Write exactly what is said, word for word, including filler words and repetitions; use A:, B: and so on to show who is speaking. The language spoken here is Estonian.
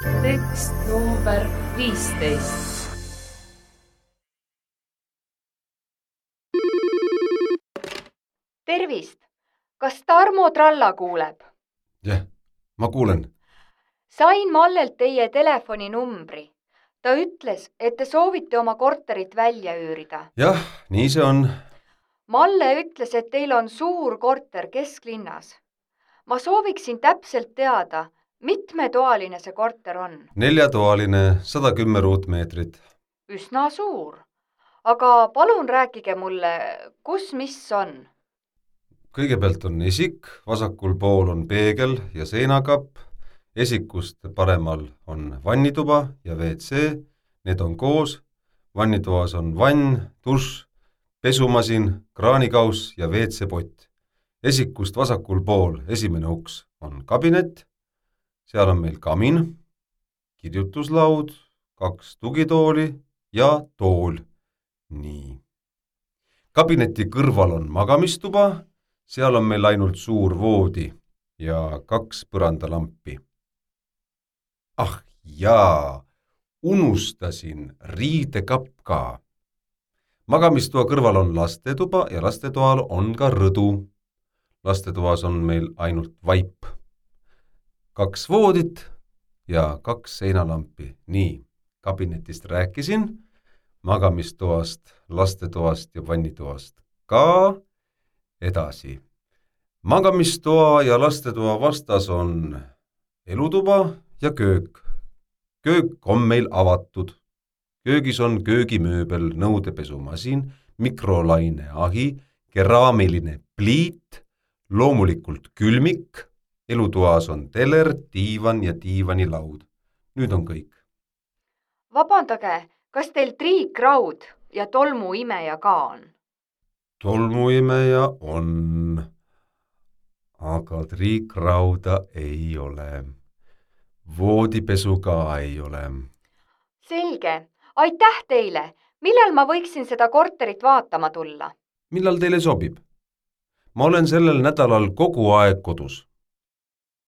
A: Tekst number viisteist.
B: Tervist! Kas Tarmo Tralla kuuleb?
C: Jah, ma kuulen.
B: Sain Mallelt teie telefoninumbri. Ta ütles, et te soovite oma korterit välja üürida.
C: Jah, nii see on.
B: Malle ütles, et teil on suur korter kesklinnas. Ma sooviksin täpselt teada, mitmetoaline see korter on.
C: Neljatoaline, sada kümme ruutmeetrit.
B: Üsna suur. Aga palun rääkige mulle, kus mis on?
C: Kõigepealt on esik, vasakul pool on peegel ja seinakapp, esikust paremal on vannituba ja V C, need on koos, vannitoas on vann, dušš, pesumasin, kraanikauss ja V C pott. Esikust vasakul pool esimene uks on kabinet, seal on meil kamin, kirjutuslaud, kaks tugitooli ja tool. Nii. Kabineti kõrval on magamistuba, seal on meil ainult suur voodi ja kaks põrandalampi. Ah jaa, unustasin riidekapp ka. Magamistoa kõrval on lastetuba ja lastetoal on ka rõdu. Lastetoas on meil ainult vaip. Kaks voodit ja kaks seinalampi. Nii, kabinetist rääkisin, magamistoast, lastetoast ja vannitoast ka. Edasi. Magamistoa ja lastetoa vastas on elutuba ja köök. Köök on meil avatud. Köögis on köögimööbel, nõudepesumasin, mikrolaineahi, keraamiline pliit, loomulikult külmik, elutoas on teler, diivan ja diivanilaud. Nüüd on kõik.
B: Vabandage, kas teil triikraud ja tolmuimeja ka on?
C: Tolmuimeja on, aga triikrauda ei ole. Voodipesu ka ei ole.
B: Selge. Aitäh teile. Millal ma võiksin seda korterit vaatama tulla?
C: Millal teile sobib? Ma olen sellel nädalal kogu aeg kodus.